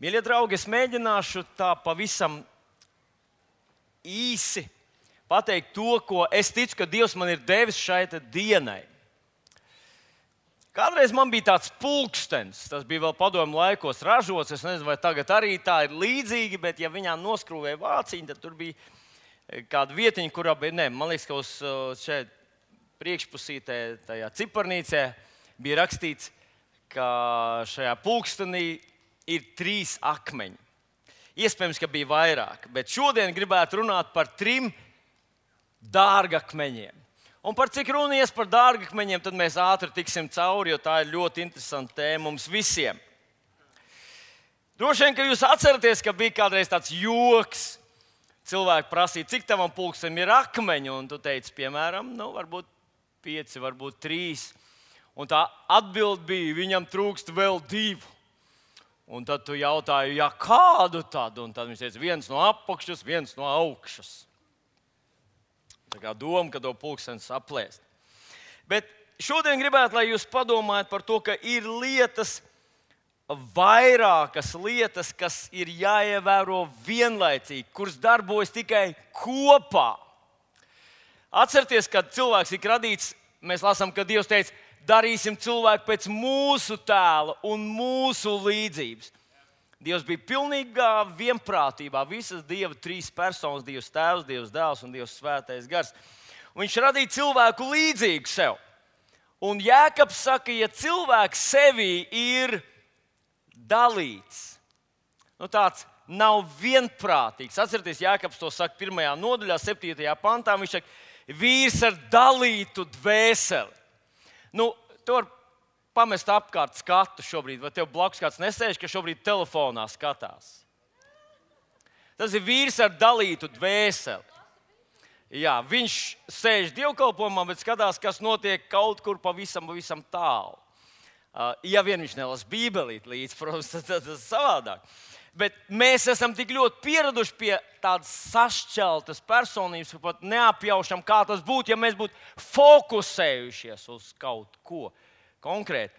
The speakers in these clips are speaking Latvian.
Mīļie draugi, es mēģināšu tā pavisam īsi pateikt to, ko es ticu, ka Dievs man ir devis šai dienai. Kādreiz man bija tāds pulkstenis, tas bija vēl padomju laikos ražots. Es nezinu, vai tagad arī tā ir līdzīgi, bet ja viņā noskrūvēja vāciņu, tad tur bija kāda vietiņa, kurā bija, man liekas, ka uz šeit priekšpusītē, tajā ciparnīcē bija rakstīts, ka šajā pulkstenī ir 3 akmeņi. Iespējams, ka bija vairāk, bet šodien gribētu runāt par 3 dārgakmeņiem. Un par cik runies par dārgakmeņiem, tad mēs ātri tiksim cauri, jo tā ir ļoti interesanta tēma mums visiem. Droši vien, ka jūs atceraties, ka bija kādreiz tāds joks. Cilvēki prasīja, cik tavam pulkstenim ir akmeņi, un tu teici, piemēram, varbūt 5, varbūt 3. Un tā atbilde bija, viņam trūkst vēl 2. Un tad tu jautāji, kādu tad? Un tad viņš teica, viens no apakšas, viens no augšas. Tā kā doma, ka to pulkstenis aplēst. Bet šodien gribētu, lai jūs padomājat par to, ka ir vairākas lietas, kas ir jāievēro vienlaicīgi, kuras darbojas tikai kopā. Atcerieties, kad cilvēks ir radīts, mēs lasām, ka Dievs teica, darīsim cilvēku pēc mūsu tēla un mūsu līdzības. Dievs bija pilnīgā vienprātībā, visas Dieva 3 personas, Dievs Tēvs, Dievs Dēls un Dievs Svētais Gars. Un viņš radīja cilvēku līdzīgu sev. Un Jēkabs saka, ja cilvēks sevī ir dalīts, tāds nav vienprātīgs. Atcerieties, Jēkabs to saka 1. nodaļā, 7. pantā. Viņš saka, vīrs ar dalītu dvēseli. Tu vari pamest apkārt skatu šobrīd, vai tev blakus kāds nesēž, ka šobrīd telefonā skatās. Tas ir vīrs ar dalītu dvēseli. Jā, viņš sēž dievkalpojumā, bet skatās, kas notiek kaut kur pavisam tālu. Ja vien viņš nelasa Bībelīt līdzi, protams, tad tas ir savādāk. Bet mēs esam tik ļoti pieraduši pie tādas sašķeltas personības, ka pat neapjaušam, kā tas būtu, ja mēs būtu fokusējušies uz kaut ko konkrēti.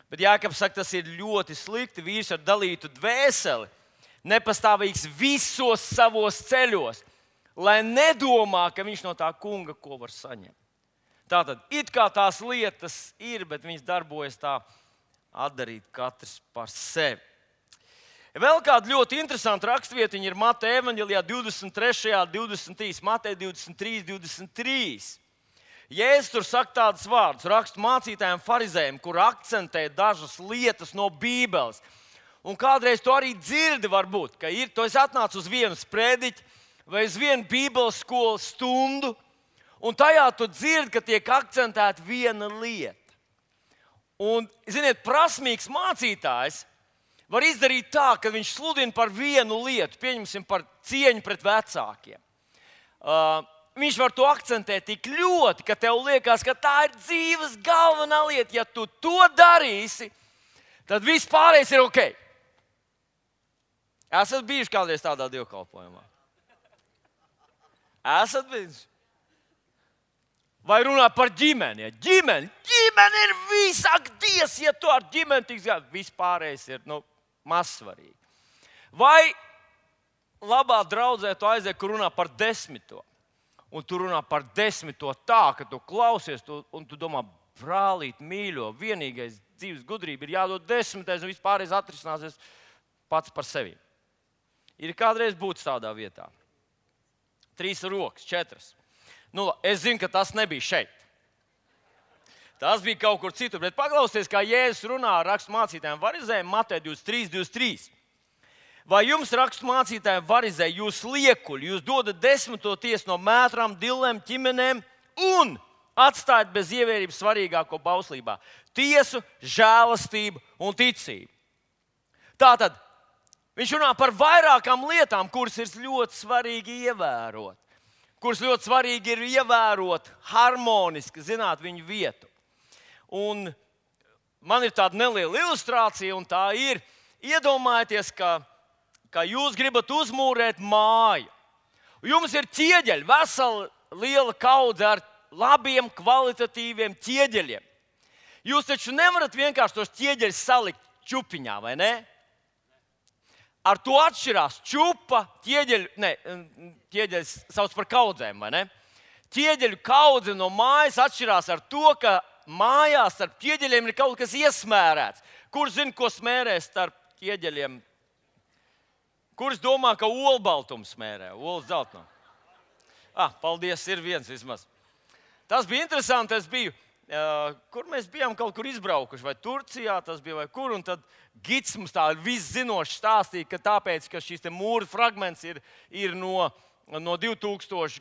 Bet Jēkabs saka, tas ir ļoti slikti. Vīrs ar dalītu dvēseli, nepastāvīgs visos savos ceļos, lai nedomā, ka viņš no tā kunga ko var saņemt. Tātad, it kā tās lietas ir, bet viņas darbojas tā atdarīt katrs par sevi. Vēl kāda ļoti interesanta rakstvietiņa ir Mateja evaņģelijā 23. 23. Mateja 23, 23. Jēzus tur saka tādus vārdus rakstu mācītājiem, farizējiem, kur akcentē dažas lietas no Bībeles. Un kādreiz tu arī dzirdi, varbūt, ka tu esi atnācis uz vienu sprediķi vai uz vienu Bībeles skolas stundu, un tajā tu dzirdi, ka tiek akcentēta viena lieta. Un, ziniet, prasmīgs mācītājs var izdarīt tā, ka viņš sludina par vienu lietu, pieņemsim par cieņu pret vecākiem. Viņš var to akcentēt tik ļoti, ka tev liekas, ka tā ir dzīves galvenā lieta. Ja tu to darīsi, tad viss pārējais ir ok. Esat bijuši kādreiz tādā dievkalpojumā? Esat bijuši? Vai runā par ģimeni? Ja ģimene ir visāk Dievs, ja tu ar ģimeni tiks gājis, viss pārējais ir mazsvarīgi. Vai labā draudzē tu aiziet, kur runā par 10. Un tu runā par 10. tā, ka tu klausies un tu domā, brālīt, mīļo, vienīgais dzīves gudrība ir jādod 10. un vispārējais atrisināsies pats par sevi. Ir kādreiz būtis tādā vietā. 3 rokas, 4. Es zinu, ka tas nebija šeit. Tas bija kaut kur citur, bet paklausieties, kā Jēzus runā ar rakstu mācītājiem farizējiem Mateja 23, 23. Vai jums rakstu mācītājiem farizēji, jūs liekuļi, jūs dodat 10. tiesu no mētrām, dillēm, ķimenēm un atstājat bez ievērības svarīgāko bauslībā – tiesu, žēlastību un ticību. Tātad viņš runā par vairākām lietām, kuras ir ļoti svarīgi ievērot. Kuras ļoti svarīgi ir ievērot harmoniski, zināt viņu vietu. Un man ir tāda neliela ilustrācija, un tā ir, iedomājieties, ka jūs gribat uzmūrēt māju. Jums ir ķieģeļi, vesela liela kaudze ar labiem, kvalitatīviem ķieģeļiem. Jūs taču nevarat vienkārši tos ķieģeļus salikt čupiņā, vai ne? ar to atšķirās čupa, ķieģeļs sauc par kaudzēm, vai ne? Ķieģeļu kaudze no mājas atšķirās ar to, ka mājās starp ķieģeļiem ir kaut kas iesmērēts. Kurš zina, ko smērē starp ķieģeļiem? Kurš domā, ka olbaltumu smērē? Olas zeltno. Paldies, ir viens vismaz. Tas bija interesanti, es biju, kur mēs bijām kaut kur izbraukuši, vai Turcijā tas bija, vai kur, un tad gids mums tā viszinoši stāstīja, ka tāpēc, ka šīs te mūra fragments ir no 2000,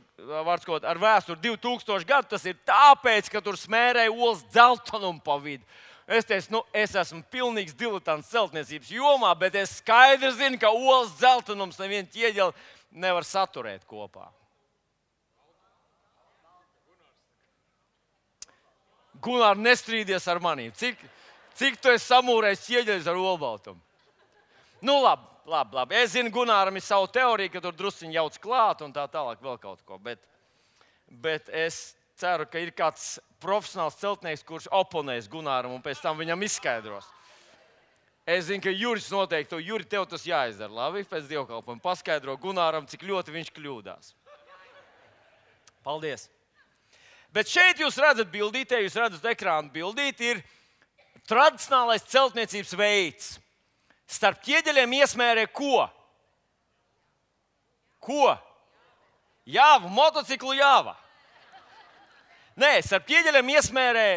ar vēsturi 2000 gadu, tas ir tāpēc, ka tur smērēja olas dzeltenumu pa vidu. Es teicu, es esmu pilnīgs diletants celtniecības jomā, bet es skaidri zinu, ka olas dzeltenums nevienu ķieģeli nevar saturēt kopā. Gunār, nestrīdies ar manīm. Cik tu esi samūrējis ķieģeļus ar olbaltumu? Nu, labi. Es zinu, Gunāram ir savu teoriju, ka tur drusciņi jauc klāt un tā tālāk vēl kaut ko. Bet es ceru, ka ir kāds profesionāls celtnieks, kurš oponēs Gunāram un pēc tam viņam izskaidros. Es zinu, ka Juris noteikti, Juri, tev tas jāizdara. Labi, pēc dievkalpojuma paskaidro Gunāram, cik ļoti viņš kļūdās. Paldies! Bet šeit jūs redzat bildītē, jūs redzat ekrānu bildīti, ir tradicionālais celtniecības veids. Starp ķieģeļiem iesmērē ko? Ko? Jāvu, motociklu jāva. Nē, starp ķieģeļiem iesmērē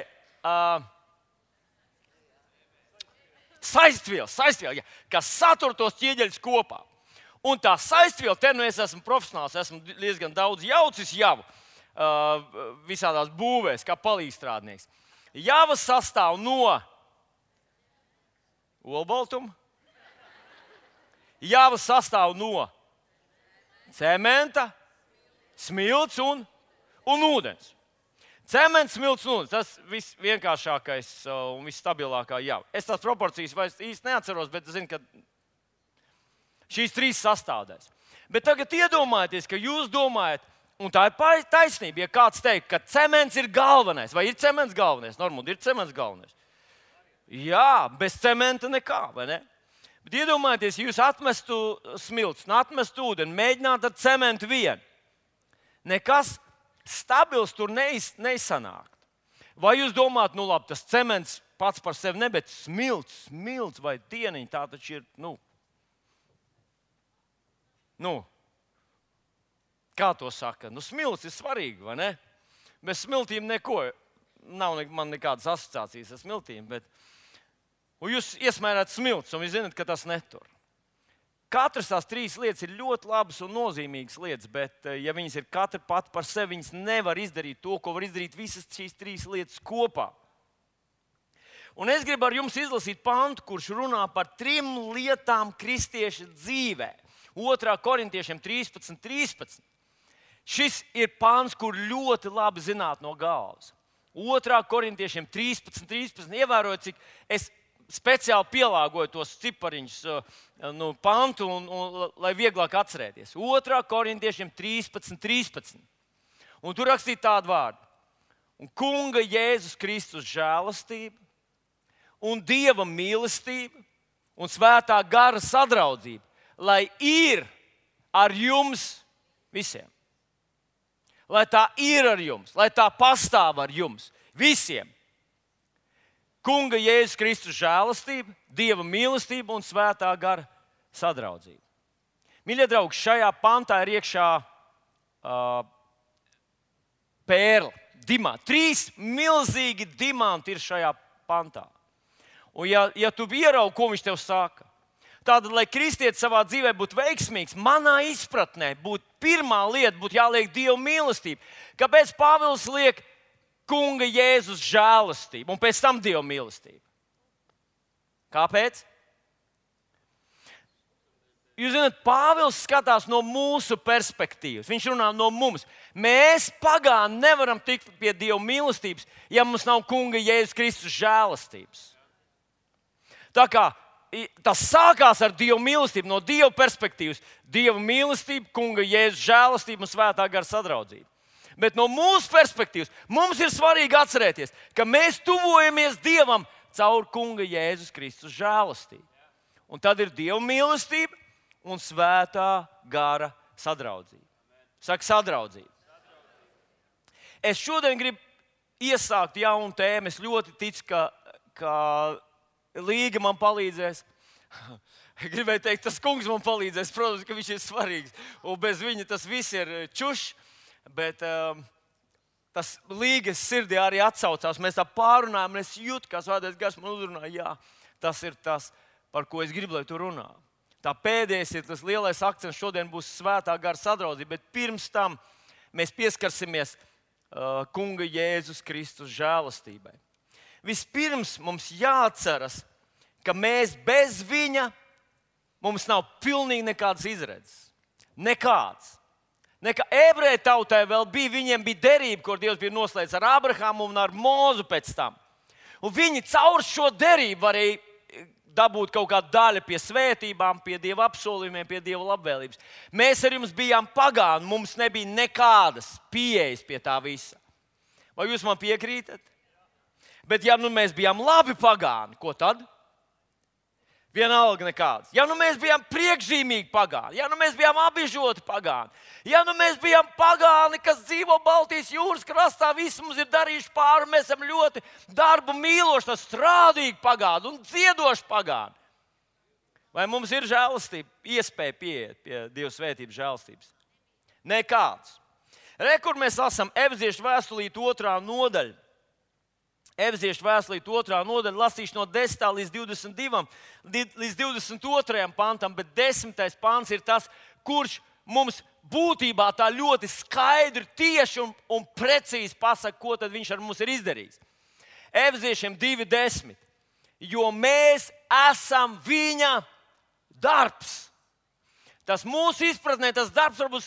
saistviela, kas satur tos ķieģeļus kopā. Un tā saistviela, te nu es esmu profesionāls, esmu diezgan daudz jaucis javu. Visādās būvēs, kā palīgstrādnieks. Jāva sastāv no olbaltuma, jāva sastāv no cementa, smilts un ūdens. Cements, smilts un ūdens, tas visvienkāršākais un visstabilākā jāva. Es tās proporcijas vairs īsti neatceros, bet es zinu, ka šīs trīs sastāvdaļas. Bet tagad iedomājieties, ka jūs domājat, un tā ir taisnība, ja kāds teikt, ka cements ir galvenais. Vai ir cements galvenais? Normāli, ir cements galvenais. Jā, bez cementa nekā, vai ne? Bet iedomājieties, ja jūs atmestu smilts un atmestu ūdeni, mēģināt ar cementu vien. Nekas stabils tur neizsanāk. Vai jūs domājat, nu labi, tas cements pats par sevi ne, bet smilts vai dieniņi, tā taču ir, kā to saka? Smilts ir svarīgi, vai ne? Bez smiltīm neko. Nav man nekādas asociācijas ar smiltīm, bet jūs iesmērāt smilts, un jūs zināt, ka tas netur. Katras tās trīs lietas ir ļoti labas un nozīmīgas lietas, bet ja viņas ir katra pati par sevi, viņas nevar izdarīt to, ko var izdarīt visas šīs trīs lietas kopā. Un es gribu ar jums izlasīt pantu, kurš runā par 3 lietām kristieša dzīvē. 2. Korintiešiem 13:13. Šis ir pāns, kur ļoti labi zināt no galvas. 2. Korintiešiem 13:13. Ievērojot, cik es speciāli pielāgoju tos cipariņus pantu, lai vieglāk atcerēties. 2. Korintiešiem 13:13. Un tur rakstīja tādu vārdu. Un Kunga Jēzus Kristus žēlastība un Dieva mīlestība un svētā gara sadraudzība, lai ir ar jums visiem. Lai tā ir ar jums, lai tā pastāv ar jums visiem. Kunga Jēzus Kristus žēlastība, Dieva mīlestība un svētā gara sadraudzība. Mīļie draugi, šajā pantā ir iekšā pērle, dimanti. 3 milzīgi dimanti ir šajā pantā. Un ja tu ieraugi, ko viņš tev saka, tātad, lai kristietis savā dzīvē būtu veiksmīgs, manā izpratnē pirmā lieta būtu jāliek Dieva mīlestība. Kāpēc Pāvils liek Kunga Jēzus žēlastību un pēc tam Dieva mīlestību? Kāpēc? Jūs zināt, Pāvils skatās no mūsu perspektīvas. Viņš runā no mums. Mēs pagāni nevaram tikt pie Dieva mīlestības, ja mums nav Kunga Jēzus Kristus žēlastības. Tā kā tas sākās ar Dieva mīlestību, no Dieva perspektīvas. Dieva mīlestība, Kunga Jēzus žēlastība un svētā gara sadraudzība. Bet no mūsu perspektīvas mums ir svarīgi atcerēties, ka mēs tuvojamies Dievam caur Kunga Jēzus Kristus žēlastību. Un tad ir Dieva mīlestība, un svētā gara sadraudzība. Saka, sadraudzība. Es šodien gribu iesākt jaunu tēmu. Es ļoti ticu, ka Līga man palīdzēs. Gribēju teikt, tas kungs man palīdzēs. Protams, ka viņš ir svarīgs. Un bez viņa tas viss ir čušs. Bet tas Līgas sirdī arī atsaucās. Mēs tā pārunājām, un es jūtu, kā Svētais Gars man uzrunāja. Jā, tas ir tas, par ko es gribu, lai tu runā. Tā pēdējais ir tas lielais akcents. Šodien būs svētā gara sadraudzība. Bet pirms tam mēs pieskarsimies Kunga Jēzus Kristus žēlastībai. Vispirms mums jāatceras, ka mēs bez viņa mums nav pilnīgi nekādas izredzes. Nekāds. Ebreju tautai vēl bija, viņiem bija derība, kur Dievs bija noslēdzis ar Abrahamu un ar Mūzu pēc tam. Un viņi caur šo derību varēja dabūt kaut kādu daļu pie svētībām, pie Dieva apsolījumiem, pie Dieva labvēlības. Mēs ar jums bijām pagāni, mums nebija nekādas pieejas pie tā visa. Vai jūs man piekrītat? Bet ja nu mēs bijām labi pagāni, ko tad? Vienalga nekāds. Ja nu mēs bijām priekšzīmīgi pagāni, ja nu mēs bijām apbežoti pagāni, ja nu mēs bijām pagāni, kas dzīvo Baltijas jūras krastā, visi mums ir darījuši pāri, mēs esam ļoti darbu mīloši, strādīgi pagāni un dziedoši pagāni. Vai mums ir žēlastība, iespēja pieiet pie Dieva svētības žēlastības? Nekāds. Kur mēs lasām Efeziešu vēstulīte 2. nodaļa. Efeziešu vēstulīte 2. nodaļa, lasīšu no 10. līdz 22. pantam, bet 10. pants ir tas, kurš mums būtībā tā ļoti skaidri, tieši un precīzi pasaka, ko tad viņš ar mums ir izdarījis. Efeziešiem 2:10. Jo mēs esam viņa darbs. Tas mūsu izpratnē, tas darbs varbūt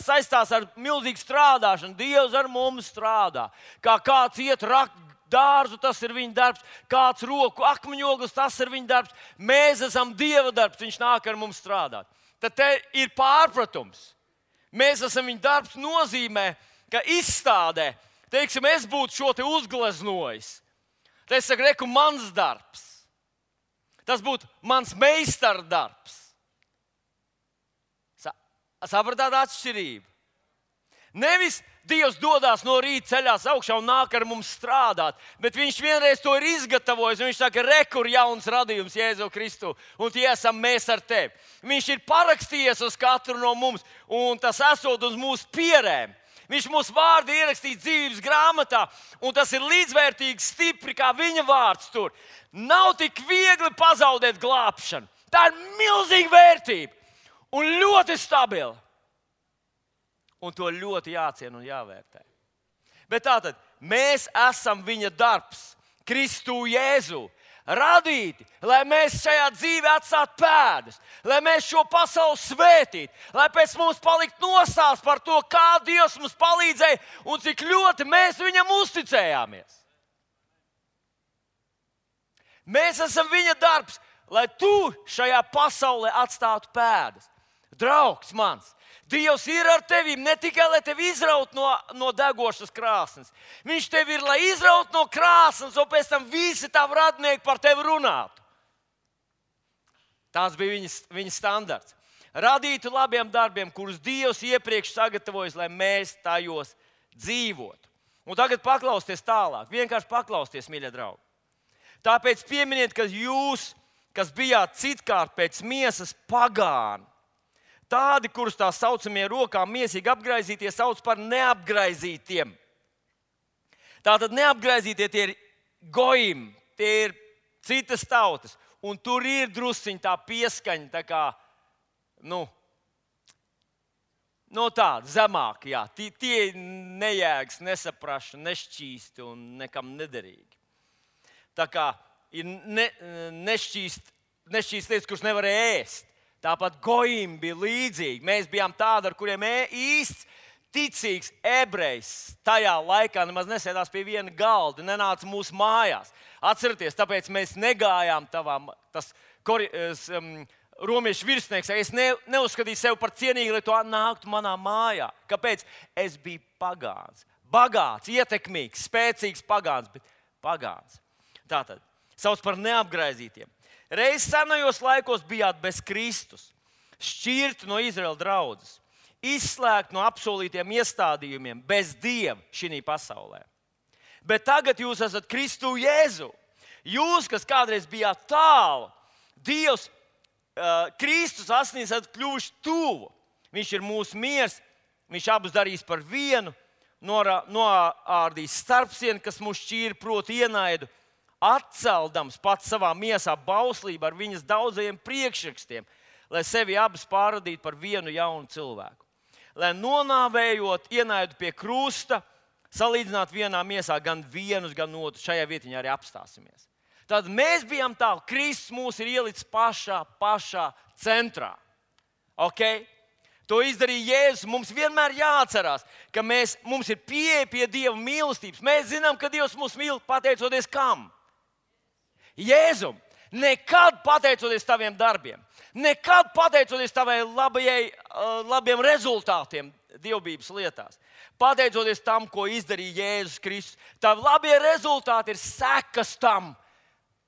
saistās ar milzīgu strādāšanu. Dievs ar mums strādā. Kā kāds iet rakt dārzu, tas ir viņa darbs. Kāds roku akmeņoglis, tas ir viņa darbs. Mēs esam Dieva darbs, viņš nāk ar mums strādāt. Tad te ir pārpratums. Mēs esam viņa darbs nozīmē, ka izstādē, teiksim, es būtu šo te uzgleznojis. Te es saku, reku, mans darbs. Tas būtu mans meistara darbs. Sapratāt atšķirību? Nevis Dievs dodas no rīta ceļās augšā un nāk ar mums strādāt, bet viņš vienreiz to ir izgatavojis. Viņš saka, rekur jauns radījums Jēzu Kristu, un tie esam mēs ar tevi. Viņš ir parakstījies uz katru no mums, un tas esot uz mūsu pierēm. Viņš mūsu vārdu ierakstīs dzīvības grāmatā, un tas ir līdzvērtīgi stipri, kā viņa vārds tur. Nav tik viegli pazaudēt glābšanu. Tā ir milzīga vērtība un ļoti stabila. Un to ļoti jāciena un jāvērtē. Bet tātad, mēs esam viņa darbs, Kristu Jēzu, radīti, lai mēs šajā dzīvē atstātu pēdas, lai mēs šo pasauli svētītu, lai pēc mums palikt nostāsts par to, kā Dievs mums palīdzēja un cik ļoti mēs viņam uzticējāmies. Mēs esam viņa darbs, lai tu šajā pasaulē atstātu pēdas. Draugs mans, Dievs ir ar tevi ne tikai, lai tevi izraut no degošas krāsnes. Viņš tevi ir, lai izraut no krāsnes, un pēc tam visi tavi radnieki par tevi runātu. Tāds bija viņa standarts. Radītu labiem darbiem, kurus Dievs iepriekš sagatavojas, lai mēs tajos dzīvotu. Un tagad paklausieties tālāk. Vienkārši paklausieties, mīļie draugi. Tāpēc pieminiet, ka jūs, kas bijāt citkārt pēc miesas pagāni, tādi, kurus tā saucamie rokām miesīgi apgraizītie, sauc par neapgraizītiem. Tātad neapgraizītie tie ir gojim, tie ir citas tautas. Un tur ir drusciņi tā pieskaņa, tā kā, tāda zemāka, jā. Tie nejēgas, nesaprašana, nešķīsti un nekam nederīgi. Tā kā ir nešķīst lietas, kuras nevarēja ēst. Tāpat gojim bija līdzīgi. Mēs bijām tādi, ar kuriem īsts, ticīgs ebrejs tajā laikā nemaz nesēdās pie viena galda, nenāca mūsu mājās. Atcerieties, tāpēc mēs negājām tas romiešu virsnieks. Es neuzskatīju sevi par cienīgu, lai to nāktu manā mājā. Kāpēc? Es biju pagāns. Bagāts, ietekmīgs, spēcīgs pagāns, bet pagāns. Tātad, sauc par neapgraizītiem. Reiz senajos laikos bijāt bez Kristus. šķirti no Izraēla draudzes, izslēgti no apsolītiem iestādījumiem, bez Dieva šī pasaulē. Bet tagad jūs esat Kristu Jēzu. Jūs, kas kādreiz bijāt tālu, Dievs, Kristus asinīs esat kļuvuši tuvu. Viņš ir mūsu miers, viņš abus darīs par vienu, noārdīs starpsienu, kas mūs šķīra, proti ienaidu, atceldams pats savā miesā bauslību ar viņas daudzajiem priekšrakstiem, lai sevi abus pārradītu par vienu jaunu cilvēku. Lai nonāvējot ienaidu pie krusta, salīdzinātu vienā miesā gan vienus, gan otru. Šajā vietiņā arī apstāsimies. Tad mēs bijām tālu, Kristus mūs ir ielicis pašā centrā. Okay? To izdarīja Jēzus. Mums vienmēr jāatcerās, ka mums ir pieeja pie Dieva mīlestības. Mēs zinām, ka Dievs mūs mīl pateicoties kam? Jēzum. Nekad pateicoties taviem darbiem. Nekad pateicoties tavai labiem rezultātiem dievbības lietās. Pateicoties tam, ko izdarīja Jēzus Kristus. Tavi labie rezultāti ir sekas tam,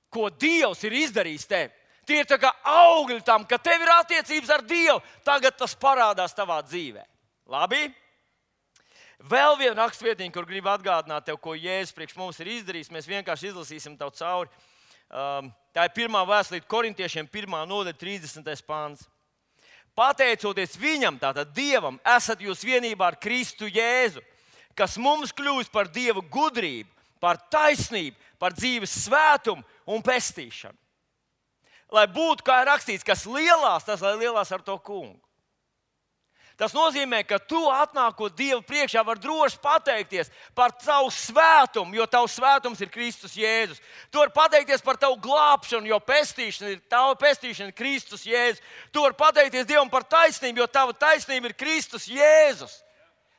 ko Dievs ir izdarījis tev. Tie ir tā kā augļi tam, ka tev ir attiecības ar Dievu. Tagad tas parādās tavā dzīvē. Labi? Vēl viena rakstvietiņa, kur gribu atgādināt tev, ko Jēzus priekš mums ir izdarījis. Mēs vienkārši izlasīsim tev cauri. Tā ir 1. vēstulīte Korintiešiem, 1. nodaļa, 30. pāns. Pateicoties viņam, tātad Dievam, esat jūs vienībā ar Kristu Jēzu, kas mums kļūst par Dieva gudrību, par taisnību, par dzīves svētumu un pestīšanu. Lai būtu, kā ir rakstīts, kas lielās, tas lai lielās ar to kungu. Tas nozīmē, ka tu atnākot Dievu priekšā var droši pateikties par tavu svētumu, jo tavs svētums ir Kristus Jēzus. Tu vari pateikties par tavu glābšanu, jo tava pestīšana ir Kristus Jēzus. Tu vari pateikties Dievam par taisnību, jo tava taisnība ir Kristus Jēzus.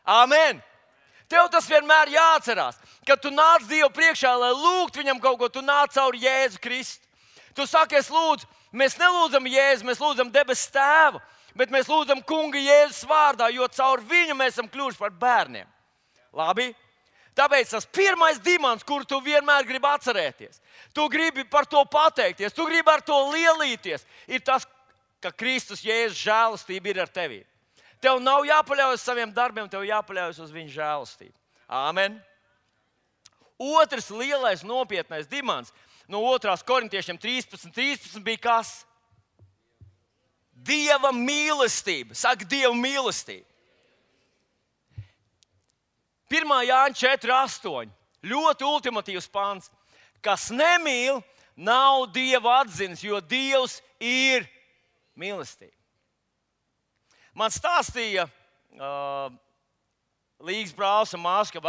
Amen! Tev tas vienmēr jāatcerās, ka tu nāc Dievu priekšā, lai lūgtu viņam kaut ko, tu nāc caur Jēzu Kristu. Tu saki, es lūdzu, mēs nelūdzam Jēzu, mēs lūdzam debesu Tēvu, bet mēs lūdzam Kunga Jēzus vārdā, jo caur viņu mēs esam kļuvuši par bērniem. Labi? Tāpēc tas pirmais dimants, kuru tu vienmēr gribi atcerēties, tu gribi par to pateikties, tu gribi ar to lielīties, ir tas, ka Kristus Jēzus žēlastība ir ar tevi. Tev nav jāpaļaujas uz saviem darbiem, tev jāpaļaujas uz viņa žēlastību. Āmen. Otrs lielais nopietnais dimants no 2. Korintiešiem 13 bija kas? Dieva mīlestība. Saka, Dieva mīlestība. 1. Jāņa 4:8. Ļoti ultimatīvs pāns. Kas nemīl, nav Dieva atzinis, jo Dievs ir mīlestība. Man stāstīja Līgas brālis un māsa, ka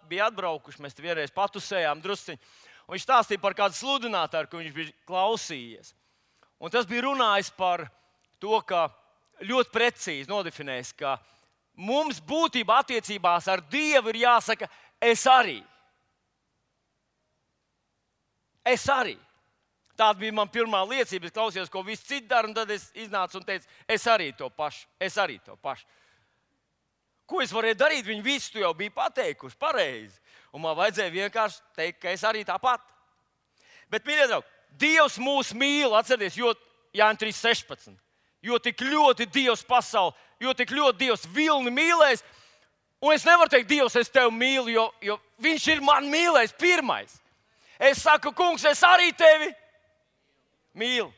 bija atbraukuši, mēs te vienreiz patusējām drusciņi. Un viņš stāstīja par kādu sludinātāju, ko viņš bija klausījies. Un tas bija runājis par to, ka ļoti precīzi nodefinējis, ka mums būtībā attiecībās ar Dievu ir jāsaka, es arī. Es arī. Tāda bija man pirmā liecība. Es klausījos, ko visi citi dara, un tad es iznācu un teicu, es arī to pašu. Es arī to pašu. Ko es varēju darīt? Viņi visi to jau bija pateikuši pareizi. Un man vajadzēja vienkārši teikt, ka es arī tāpat. Bet, mīļie draugi, Dievs mūs mīl, atcerieties, jo Jāņa 3:16. Jo tik ļoti Dievs pasauli, jo tik ļoti Dievs vilni mīlēs. Un es nevaru teikt, Dievs, es tevi mīlu, jo viņš ir man mīlējis pirmais. Es saku, kungs, es arī tevi mīlu.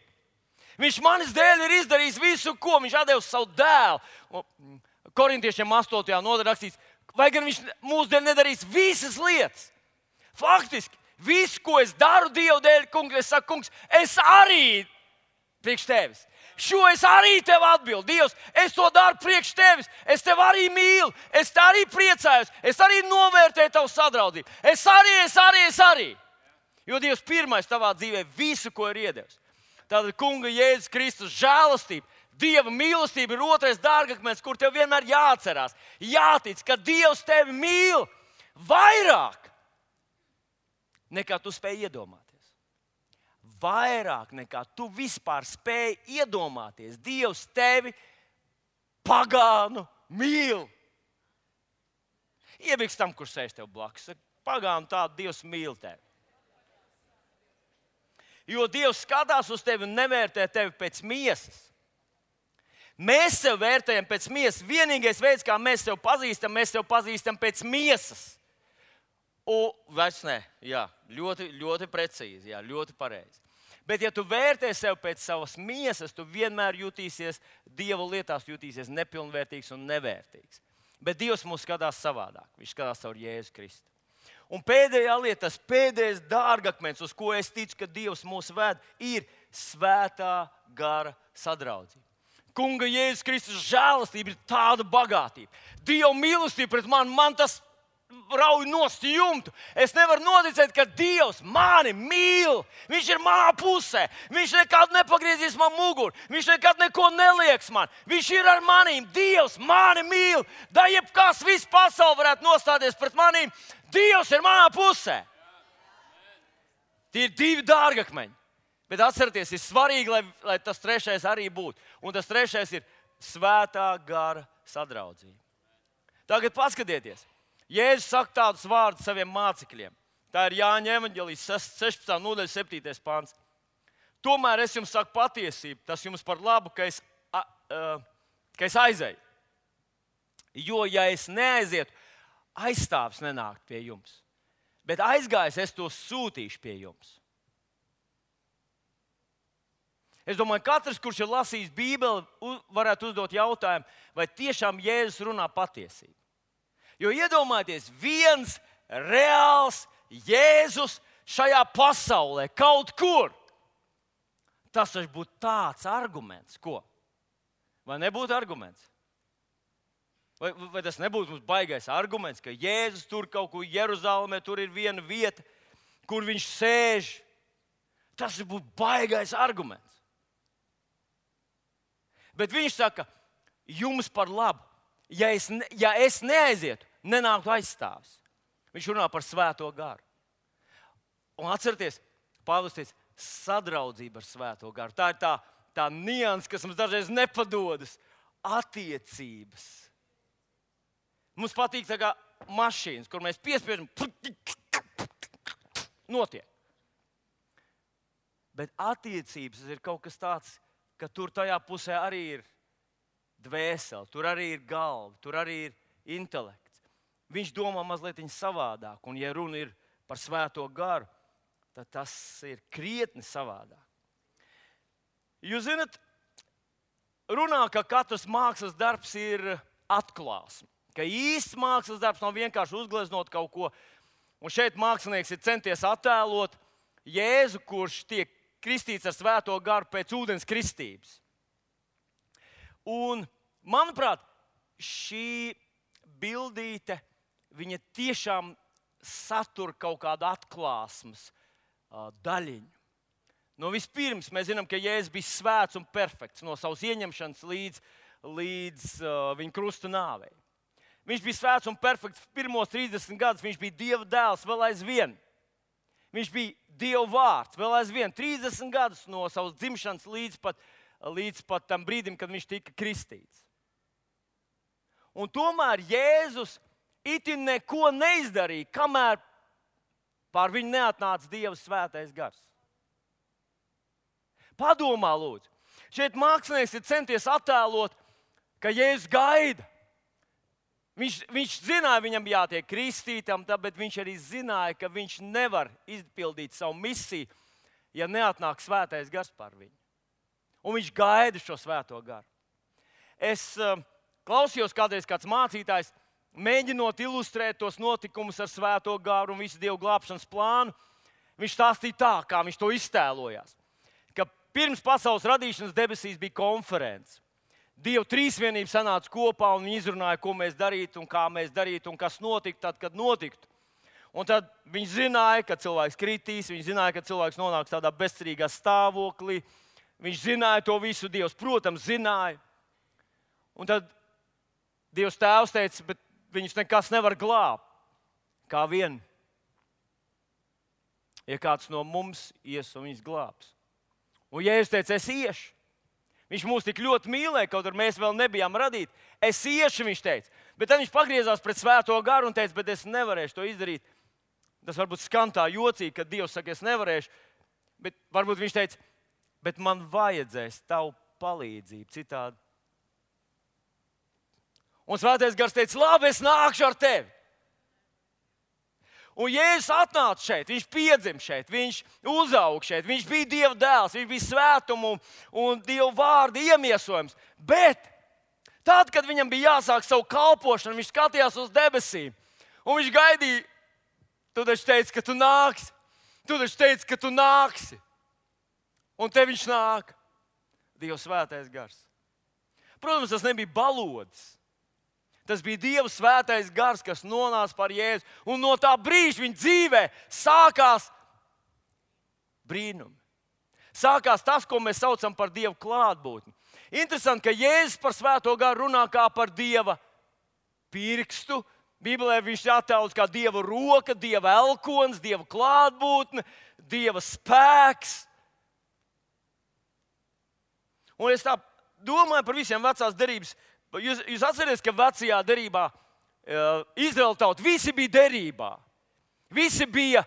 Viņš manis dēļ ir izdarījis visu, ko viņš atdevis savu dēlu. Korintiešiem 8. nodaļā rakstīts, vai gan viņš mūsu dēļ nedarīs visas lietas. Faktiski, visu, ko es daru Dievu dēļ, kungs, es saku, kungs, es arī priekš tevis. Šo es arī tev atbildu. Dievs, es to daru priekš tevis. Es tev arī mīlu. Es te arī priecājos. Es arī novērtēju tavu sadraudzību. Es arī. Jo Dievs pirmais tavā dzīvē visu, ko ir iedevis. Tātad Kunga Jēzus Kristus žēlastība, Dieva mīlestība ir otrais dārgakmens, kur tev vienmēr jāatcerās. Jātic, ka Dievs tevi mīl vairāk nekā tu spēj iedomāties. Vairāk nekā tu vispār spēj iedomāties. Dievs tevi pagānu mīl. Iebiks tam, kurš sēž tev blakus. Pagānu tādu Dievs mīl tevi. Jo Dievs skatās uz tevi un nevērtē tevi pēc miesas. Mēs sev vērtējam pēc miesas. Vienīgais veids, kā mēs sev pazīstam pēc miesas. Vairs ne. Jā, ļoti precīzi, jā, ļoti pareizi. Bet, ja tu vērtē sev pēc savas miesas, tu vienmēr jutīsies Dieva lietās, jutīsies nepilnvērtīgs un nevērtīgs. Bet Dievs mūs skatās savādāk. Viņš skatās caur Jēzu Kristu. Un pēdējā lieta, tas pēdējais dārgakmens, uz ko es ticu, ka Dievs mūs ved, ir svētā gara sadraudzība. Kunga Jēzus Kristus žēlastība ir tāda bagātība. Dieva mīlestība pret mani, man tas rauj nost jumtu. Es nevaru noticēt, ka Dievs mani mīl. Viņš ir manā pusē. Viņš nekad nepagriezīs man muguru. Viņš nekad neko nelieks man. Viņš ir ar manīm. Dievs mani mīl. Da jebkas viss pasaule varētu nostāties pret manīm. Dievs ir manā pusē. Tie ir divi dārgakmeņi. Bet atcerieties, ir svarīgi, lai tas trešais arī būtu. Un tas trešais ir svētā gara sadraudzība. Tagad paskatieties. Jēzus saka tādus vārdus saviem mācekļiem. Tā ir Jāņa evaņģēlijas 16. nodaļa 7. pants. Tomēr es jums saku patiesību, tas jums par labu, ka es aizeju. Jo, ja es neaizietu, aizstāvs nenākt pie jums. Bet aizgājis, es to sūtīšu pie jums. Es domāju, katrs, kurš ir lasījis Bībeli, varētu uzdot jautājumu, vai tiešām Jēzus runā patiesību. Jo iedomājieties, viens reāls Jēzus šajā pasaulē, kaut kur. Tas taču būtu tāds arguments, ko? Vai nebūtu arguments? Vai tas nebūtu mums baigais arguments, ka Jēzus tur kaut kur Jeruzalemē, tur ir viena vieta, kur viņš sēž? Tas būtu baigais arguments. Bet viņš saka, jums par labu, ja es neaizietu, nenāktu aizstāvs. Viņš runā par svēto garu. Un atcerieties, Pāvils teica, sadraudzība ar svēto garu. Tā ir tā nianse, kas mums dažreiz nepadodas. Attiecības. Mums patīk tā kā mašīnas, kur mēs piespiežam, notiek. Bet attiecības ir kaut kas tāds, ka tur tajā pusē arī ir dvēsele, tur arī ir galva, tur arī ir intelekts. Viņš domā mazliet savādāk, un ja runa ir par svēto garu, tad tas ir krietni savādāk. Jūs zināt, runā, ka katrs mākslas darbs ir atklāsme. Ka īsts mākslas darbs nav vienkārši uzgleznot kaut ko. Un šeit mākslinieks ir centies attēlot Jēzu, kurš tiek kristīts ar svēto garu pēc ūdens kristības. Un, manuprāt, šī bildīte, viņa tiešām satur kaut kādu atklāsmes daļiņu. No vispirms mēs zinām, ka Jēzus bija svēts un perfekts no savas ieņemšanas līdz viņa krusta nāvei. Viņš bija svēts un perfekts pirmos 30 gadus, viņš bija Dieva dēls vēl aizvien. Viņš bija Dieva vārds vēl aizvien 30 gadus no savas dzimšanas līdz pat tam brīdim, kad viņš tika kristīts. Un tomēr Jēzus itin neko neizdarīja, kamēr pār viņu neatnāca Dieva svētais gars. Padomā, lūdzu. Šeit mākslinieks ir centies attēlot, ka Jēzus gaida. Viņš zināja, viņam jātiek kristītam, bet viņš arī zināja, ka viņš nevar izpildīt savu misiju, ja neatnāk svētais gars pār viņu. Un viņš gaida šo svēto garu. Es klausījos kādreiz kāds mācītājs, mēģinot ilustrēt tos notikumus ar svēto garu un visu Dievu glābšanas plānu. Viņš stāstīja tā, kā viņš to iztēlojās. Ka pirms pasaules radīšanas debesīs bija konference. Dieva trīsvienība sanāca kopā un viņi izrunāja, ko mēs darītu un kā mēs darītu un kas notiktu tad, kad notiktu. Un tad viņi zināja, ka cilvēks kritīs, viņi zināja, ka cilvēks nonāks tādā bezcerīgā stāvoklī. Viņš zināja to visu, Dievs, protams, zināja. Un tad Dievs tēvs teica, bet viņus nekas nevar glābt. Kā vien, ja kāds no mums ies un viņus glābs. Un Jēzus teica, es iešu. Viņš mūs tik ļoti mīlēja, kaut arī mēs vēl nebijām radīti. Es iešu, viņš teica. Bet tad viņš pagriezās pret svēto garu un teica, bet es nevarēšu to izdarīt. Tas varbūt skan tā jocīgi, kad Dievs saka, es nevarēšu. Bet varbūt viņš teica, bet man vajadzēs tavu palīdzību. Citādi Un Svētais Gars teica, labi, es nākšu ar tevi. Un Jēzus atnāca šeit, viņš piedzima šeit, viņš uzauga šeit, viņš bija Dieva dēls, viņš bija svētuma un Dieva vārda iemiesojums. Bet tad, kad viņam bija jāsāk savu kalpošanu, viņš skatījās uz debesīm un viņš gaidīja, tu taču teici, ka tu nāksi, tu taču teici, ka tu nāksi. Un te viņš nāk, Dieva svētais gars. Protams, tas nebija balodis. Tas bija Dieva svētais gars, kas nonāca par Jēzu. Un no tā brīža viņa dzīvē sākās brīnumi. Sākās tas, ko mēs saucam par Dieva klātbūtni. Interesanti, ka Jēzus par svēto garu runā kā par Dieva pirkstu. Bībelē viņš attēlots kā Dieva roka, Dieva elkons, Dieva klātbūtne, Dieva spēks. Un es tā domāju par visiem vecās derības. Jūs atcerieties, ka vecajā derībā Izraēla tauta visi bija derībā. Visi bija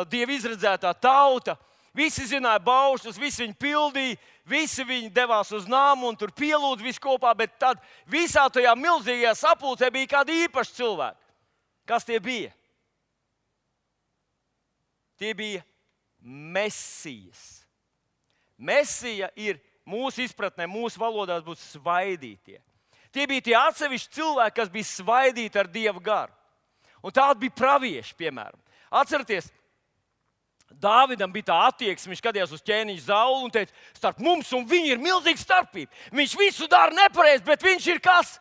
Dieva izredzētā tauta. Visi zināja baušļus, visi viņi pildīja, visi viņi devās uz nāmu un tur pielūdza visu kopā. Bet tad visā tajā milzīgajā sapulcē bija kādi īpaši cilvēki. Kas tie bija? Tie bija Mesijas. Mesija ir mūsu izpratnē, mūsu valodās būtu svaidītie. Tie bija tie atsevišķi cilvēki, kas bija svaidīti ar Dieva garu. Un tādi bija pravieši, piemēram. Atcerieties, Dāvidam bija tā attieksme, viņš skatījās uz ķēniņa Saulu un teica, starp mums un viņu ir milzīga starpība. Viņš visu dara nepareizi, bet viņš ir kas?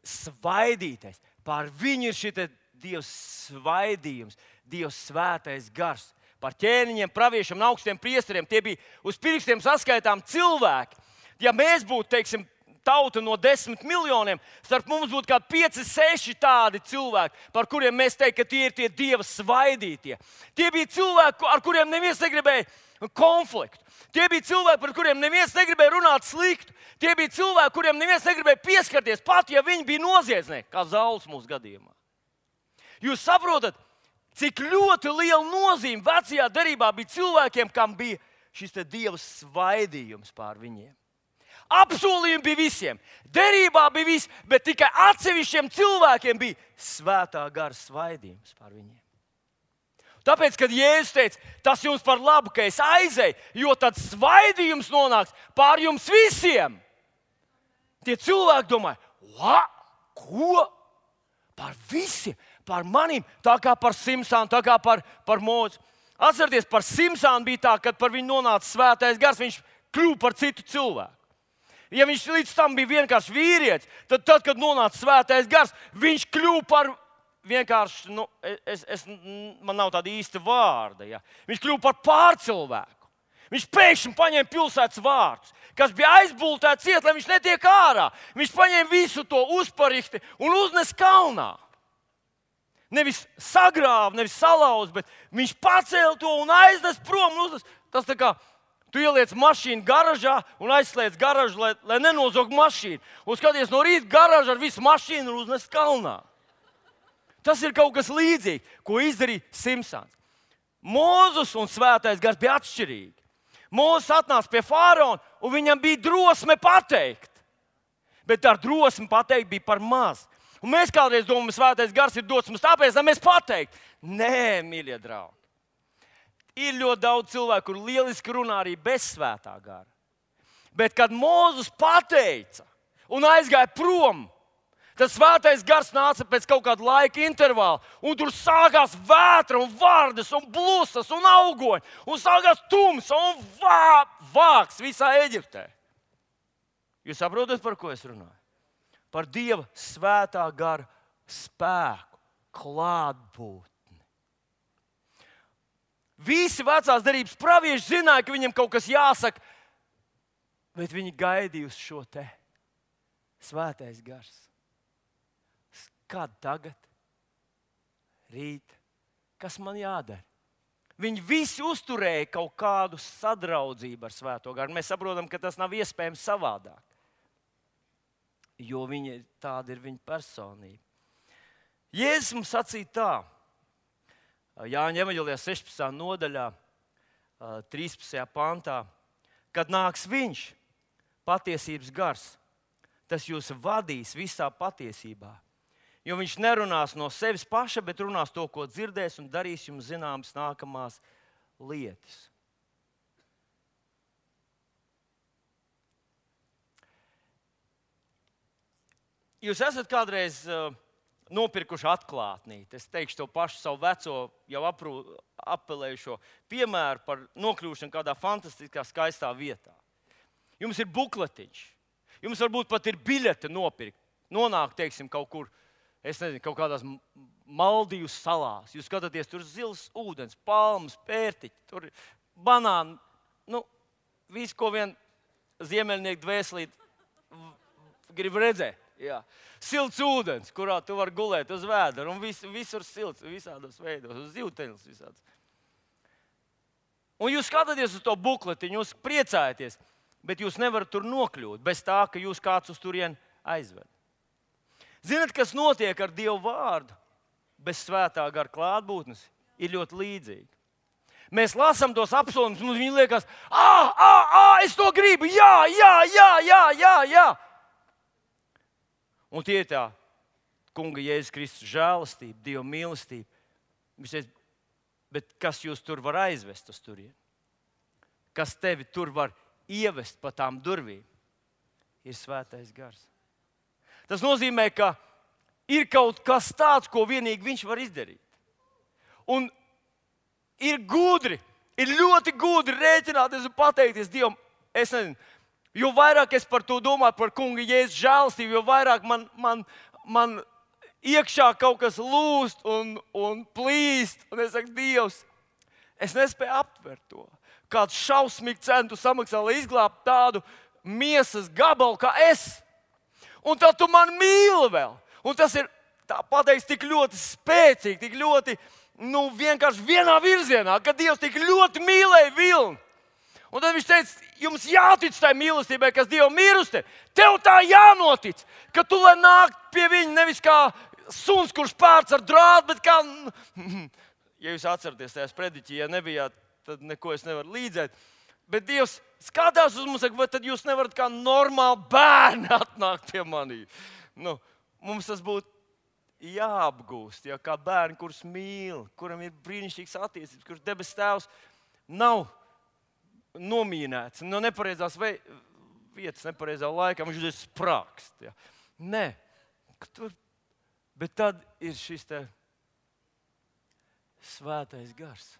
Svaidītais. Pār viņu ir šī Dieva svaidījums, Dieva svētais gars. Par ķēniņiem, praviešiem un augstiem priesteriem. Tie bija uz pirkstiem saskaitām cilvēki. Ja mēs būtu, teiksim, tauta no 10 miljoniem, starp mums būtu kādi 5, 6 tādi cilvēki, par kuriem mēs teiktu, ka tie ir tie Dieva svaidītie. Tie bija cilvēki, ar kuriem neviens negribēja konfliktu. Tie bija cilvēki, par kuriem neviens negribēja runāt sliktu. Tie bija cilvēki, kuriem neviens negribēja pieskarties, pat ja viņi bija noziedznieki, kā Sauls mūsu gadījumā. Jūs saprotat, cik ļoti liela nozīme vecajā derībā bija cilvēkiem, kam bija šis Dieva svaidījums pār viņiem. Apsolījumi bija visiem, derībā bija viss, bet tikai atsevišķiem cilvēkiem bija svētā gara svaidījums pār viņiem. Tāpēc, kad Jēzus teica, tas jums par labu, ka es aizēju, jo tad svaidījums nonāks pār jums visiem. Tie cilvēki domāja, ko? Par visiem, par maniem, tā kā par Simsānu, tā kā par Mūzu. Atcerieties, par Simsānu bija tā, kad par viņu nonāca svētais gars, viņš kļuva par citu cilvēku. Ja viņš līdz tam bija vienkārši vīrietis, tad, kad nonāca svētais gars, viņš kļuva par vienkārši, man nav tāda īsta vārda. Ja. Viņš kļuva par pārcilvēku. Viņš pēkšņi paņēma pilsētas vārdus, kas bija aizbultēts ciet, lai viņš netiek ārā. Viņš paņēma visu to uzparikti un uznes kalnā. Nevis sagrāva, nevis salauz, bet viņš pacēla to un aiznes prom. Tas tā kā tu ieliec mašīnu garažā un aizslēdz garažu, lai nenozog mašīnu. Un skaties no rīta garažu ar visu mašīnu un uznes kalnā. Tas ir kaut kas līdzīgs, ko izdarīja Simsons. Mūzes un svētais gars bija atšķirīgi. Mūzes atnāca pie faraona un viņam bija drosme pateikt. Bet ar drosmi pateikt bija par maz. Un mēs kādreiz domājam, ka svētais gars ir dots mums tāpēc, lai mēs pateiktu. Nē, mīļie draugi. Ir ļoti daudz cilvēku, kur lieliski runā arī bez svētā gara. Bet, kad Mūzes pateica un aizgāja prom, tad svētais gars nāca pēc kaut kāda laika intervāla. Un tur sākās vētra un vārdas un blusas un augoņi. Un sākās tumsa un vāks visā Eģiptē. Jūs saprotat, par ko es runāju? Par Dieva svētā gara spēku, klātbūtni. Visi vecās derības pravieši zināja, ka viņam kaut kas jāsaka, bet viņi gaidīja uz šo te svētais gars. Kad tagad? Rīt? Kas man jādara? Viņi visi uzturēja kaut kādu sadraudzību ar svēto garu. Mēs saprotam, ka tas nav iespējams savādāk, jo tāda ir viņa personība. Jēzus mums sacīja tā, Jāņa evaņģēlijā 16. nodaļā, 13. pantā, kad nāks viņš, patiesības gars, tas jūs vadīs visā patiesībā. Jo viņš nerunās no sevis paša, bet runās to, ko dzirdēs, un darīs jums zināmas nākamās lietas. Jūs esat kādreiz nopirkuši atklātnīti. Es teikšu to pašu savu veco, jau apelējušo piemēru par nokļūšanu kādā fantastiskā, skaistā vietā. Jums ir bukletiņš. Jums varbūt pat ir biļete nopirkt. Nonākt, teiksim, kaut kur, es nezinu, kaut kādās Maldīvu salās. Jūs skatāties, tur zils ūdens, palmas, pērtiķi, tur banāni. Visu, ko vien ziemeļnieku dvēselīt grib redzēt. Jā. Silts ūdens, kurā tu vari gulēt uz vēdera, un visur silts, visādos veidos, uz zivteņus visāds. Un jūs skatāties uz to bukletiņu, jūs priecājaties, bet jūs nevarat tur nokļūt bez tā, ka jūs kāds uz turieni aizved. Zinat, kas notiek ar Dievu vārdu bez svētā gara klātbūtnes, ir ļoti līdzīgi. Mēs lasām tos apsolījumus, mums viņi liekas, es to gribu, jā. Un tie ir tā Kunga Jēzus Kristus žēlastība, Dieva mīlestība. Viņš teica, bet kas jūs tur var aizvest uz turieni? Kas tevi tur var ievest pa tām durvīm? Ir svētais gars. Tas nozīmē, ka ir kaut kas tāds, ko vienīgi viņš var izdarīt. Un ir gudri, ir ļoti gudri rēķināties un pateikties Dievam, es nezinu, jo vairāk es par to domāju, par Kunga Jēzus žēlastību, jo vairāk man iekšā kaut kas lūst un plīst. Un es saku, Dievs, es nespēju aptvert to. Kāds šausmīgi cenu tu samaksā, lai izglābtu tādu miesas gabalu kā es. Un tad tu man mīli vēl. Un tas ir, tā pateiks, tik ļoti spēcīgi, tik ļoti, vienkārši vienā virzienā, ka Dievs tik ļoti mīlēja vilni. Un tad viņš teica, jums jātic tai mīlestībai, kas Dievam ir uz tevi. Tev tā jānotic, ka tu lai nāk pie viņa nevis kā suns, kurš pērts ar drātu, bet kā, ja jūs atceraties tajās prediķī, ja nebijāt, tad neko es nevaru līdzēt. Bet Dievs skatās uz mums, vai tad jūs nevarat kā normāli bērni atnākt pie manī. Mums tas būtu jāapgūst, ja, kā bērni, kurus mīl, kuram ir brīnišķīgs attiecības, kurš debes tēvs nav nomīnēts no nepareizās vietas, nepareizā laikā, viņš ir sprākst. Ja. Nē, bet tad ir šis te svētais gars.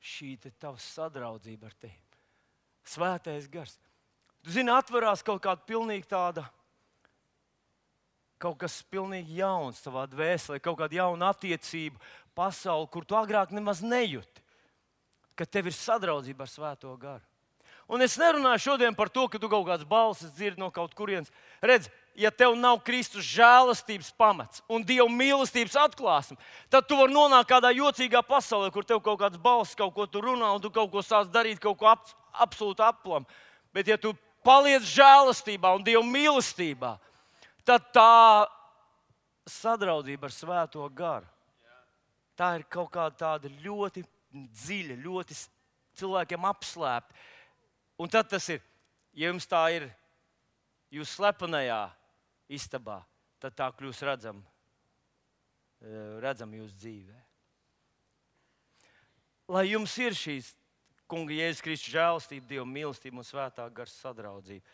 Šī te tava sadraudzība ar tevi. Svētais gars. Tu zini, atverās kaut kāda pilnīgi tāda, kaut kas pilnīgi jauns tavā dvēselē, kaut kāda jauna attiecība, pasauli, kur tu agrāk nemaz nejūti, ka tev ir sadraudzība ar svēto garu. Un es nerunāju šodien par to, ka tu kaut kādas balsis dzirdi no kaut kurienes. Redz, ja tev nav Kristus žēlastības pamats un Dieva mīlestības atklāsme, tad tu vari nonākt kādā jocīgā pasaulē, kur tev kaut kāds balsis, kaut ko tu runā, un tu kaut ko sāc darīt, kaut ko absolūti aplam. Bet ja tu paliec žēlastībā un Dieva mīlestībā, tad tā sadraudzība ar svēto garu, tā ir kaut kāda tāda ļoti dziļa, ļoti cilvēkiem apslēpta. Un tad tas ir, ja jums tā ir jūs slepenajā istabā, tad tā kļūs redzam jūsu dzīvē. Lai jums ir šīs Kunga Jēzus Kristus žēlastība, Dieva mīlestība un svētā gara sadraudzība.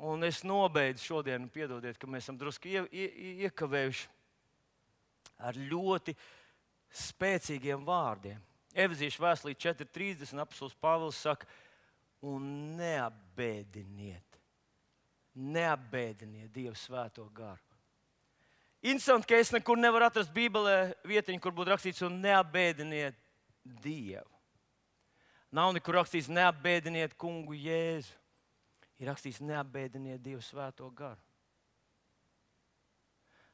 Un es nobeidzu šodien, piedodiet, ka mēs esam drusku iekavējuši ar ļoti spēcīgiem vārdiem. Efeziešu vēstulē 4:30 apostols Pāvils saka, un neapbēdiniet Dievu svēto garu. Interesanti, ka es nekur nevaru atrast Bībelē vietiņu, kur būtu rakstīts, un neapbēdiniet Dievu. Nav nekur rakstīts, neapbēdiniet Kungu Jēzu. Ir rakstīts, neapbēdiniet Dievu svēto garu.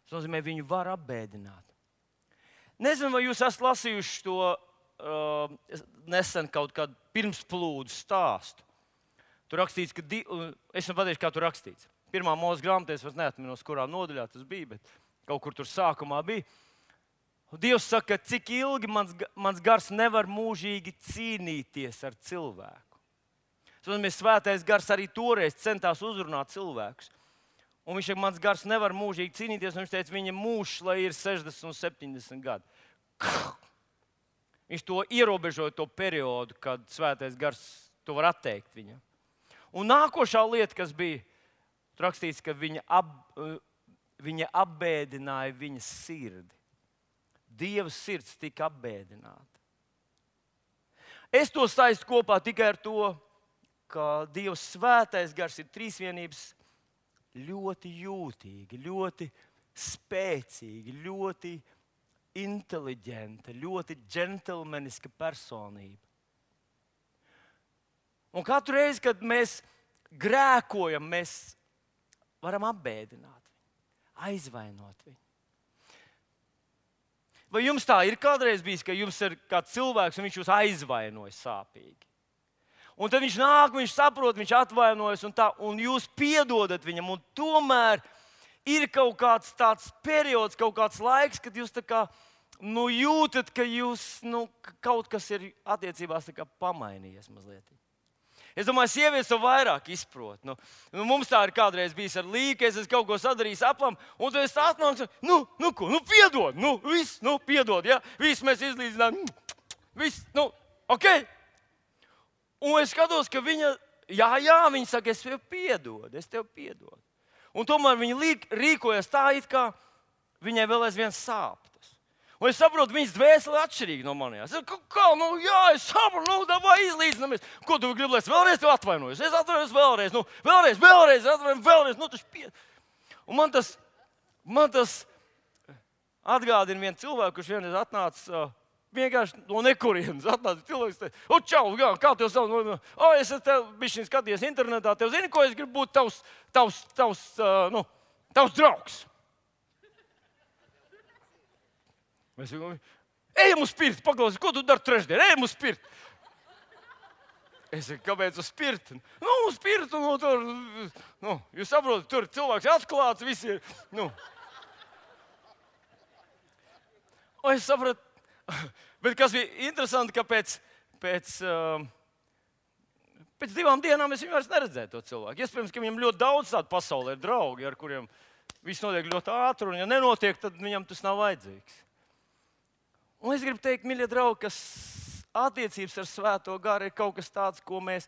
Tas nozīmē, viņu var apbēdināt. Nezinu, vai jūs esat lasījuši to nesen kaut kādu pirmsplūdu stāstu. Tur rakstīts, ka es nepateikšu, kā tur rakstīts. Pirmā Mūzes grāmatā, es vairs neatminos, kurā nodaļā tas bija, bet kaut kur tur sākumā bija. Un Dievs saka, cik ilgi mans gars nevar mūžīgi cīnīties ar cilvēku. Tas nozīmē, svētais gars arī toreiz centās uzrunāt cilvēkus. Un viņš teica, mans gars nevar mūžīgi cīnīties, un viņš teica, viņa mūžs, lai ir 60 un 70 gadi. Viņš to ierobežoja to periodu, kad svētais gars to var atteikt viņam. Un nākošā lieta, kas bija rakstīts, ka viņa apbēdināja viņas sirdi. Dieva sirds tika apbēdināta. Es to saistu kopā tikai ar to, ka Dieva svētais gars ir trīsvienības ļoti jūtīgi, ļoti spēcīgi, ļoti inteliģenta, ļoti džentelmeniska personība. Un katru reizi, kad mēs grēkojam, mēs varam apbēdināt viņu, aizvainot viņu. Vai jums tā ir kādreiz bijis, ka jums ir kāds cilvēks un viņš jūs aizvainoja sāpīgi? Un tad viņš nāk, viņš saprot, viņš atvainojas un jūs piedodat viņam. Un tomēr ir kaut kāds tāds periods, kaut kāds laiks, kad jūs tā kā, jūtat, ka kaut kas ir attiecībās tā kā pamainījies mazliet. Es domāju, sievietes to vairāk izprot. Mums tā ir kādreiz bijis ar Līgu, ka es esmu kaut ko sadarījis aplam, un tad es atnāku un saku, piedod, viss, piedod, ja? Viss mēs izlīdzinām, viss, ok. Un es skatos, ka viņa saka, es tev piedodu. Un tomēr viņa rīkojas tā, it kā viņai vēl aizvien sāp. Un es saprotu, viņas dvēsele atšķirīga no manējās. Es saprotu, davai izlīdzinamies. Ko tu gribi, lai es vēlreiz tev atvainojos? Es atvainojos vēlreiz, atvainojos. Un man tas atgādina vienu cilvēku, kurš vienreiz atnāca vienkārši no nekurienes. Atnāca cilvēks, teica, čau, kā tev savu? Es tev bišķiņ skaties internetā, tev zini, ko es gribu būt tavs draugs. Mēs sakām, ejam uz pirti, paklausies, ko tu dari trešdien? Ejam uz pirti. Es saku, kāpēc uz pirti? Uz pirti, tur, jūs saprotat, tur cilvēks atklāts, visi ir, Es sapratu, bet kas bija interesanti, ka pēc 2 dienām es viņu vairs neredzēju to cilvēku. Iespējams, ka viņam ļoti daudz tādu pasaulē ir draugi, ar kuriem viss notiek ļoti ātri, un ja nenotiek, tad viņam tas nav vajadzīgs. Un es gribu teikt, mīļie draugi, ka attiecības ar Svēto garu ir kaut kas tāds, ko mēs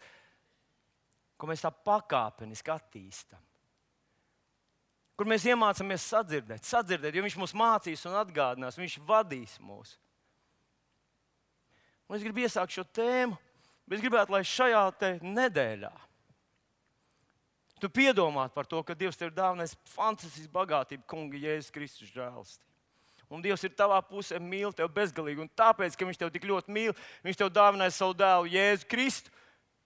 tā pakāpeniski attīstam. Kur mēs iemācāmies sadzirdēt, jo viņš mūs mācīs un atgādinās, viņš vadīs mūs. Un es gribu iesākt šo tēmu, bet es gribētu, lai šajā nedēļā tu piedomātu par to, ka Dievs tev ir dāvinājis fantastisku bagātību, Kunga Jēzus Kristus žēlastību. Un Dievs ir tavā pusē, mīl tevi bezgalīgi. Un tāpēc, ka viņš tev tik ļoti mīl, viņš tev dāvināja savu dēlu Jēzu Kristu,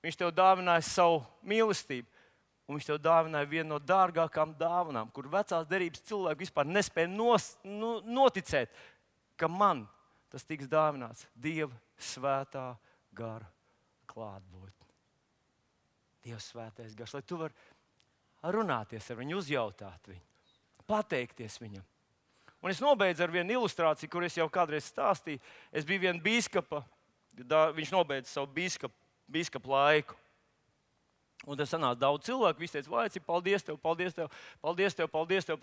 viņš tev dāvināja savu mīlestību. Un viņš tev dāvināja vienu no dārgākām dāvanām, kur vecās derības cilvēki vispār nespēja noticēt, ka man tas tiks dāvināts Dieva svētā gara klātbūtne. Dieva svētais gars, lai tu vari runāties ar viņu, uzjautāt viņu, pateikties viņam. Un es nobeidzu ar vienu ilustrāciju, kur es jau kādreiz stāstīju. Es biju viena bīskapa, viņš nobeidza savu bīskapa laiku. Un tas sanāca daudz cilvēku, visi teica, vai cik paldies tev,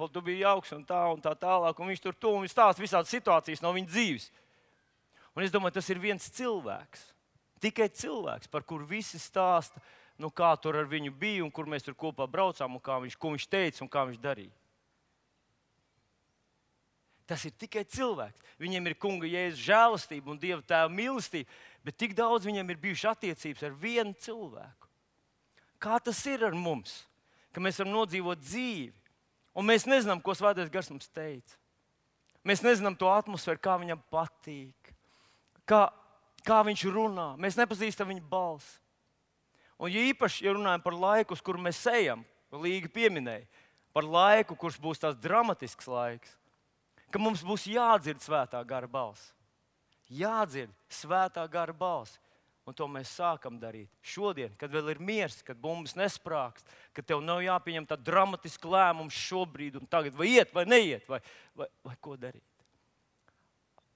tu biji jauks un tā tālāk. Un viņš tur to un viņš stāsta visādas situācijas no viņa dzīves. Un es domāju, tas ir viens cilvēks, tikai cilvēks, par kuru visi stāsta, kā tur ar viņu bija un kur mēs tur kopā braucām un ko viņš teica un kā viņš darīja. Tas ir tikai cilvēks. Viņam ir Kunga Jēzus žēlastība un Dieva Tēva mīlestība, bet tik daudz viņam ir bijušas attiecības ar vienu cilvēku. Kā tas ir ar mums, ka mēs varam nodzīvot dzīvi, un mēs nezinām, ko Svētais Gars mums teica. Mēs nezinām to atmosfēru, kā viņam patīk, kā viņš runā. Mēs nepazīstam viņa balsi. Un ja īpaši, ja runājam par laiku, uz kuru mēs ejam, Līga pieminēja, par laiku, kurš būs tās dramatisks laiks, ka mums būs jādzird Svētā gara balss. Jādzird Svētā gara balss. Un to mēs sākam darīt šodien, kad vēl ir miers, kad bumbas nesprākst, kad tev nav jāpieņem tā dramatiska lēmums šobrīd un tagad, vai iet, vai neiet, vai ko darīt.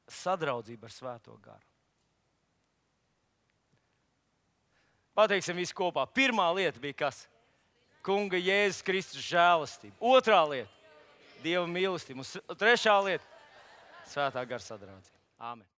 Sadraudzība ar Svēto garu. Pateiksim visu kopā. Pirmā lieta bija kas? Kunga Jēzus Kristus žēlastība. Otrā lieta - Dieva mīlestība. Un trešā lieta - Svētā gara sadraudzība. Āmen.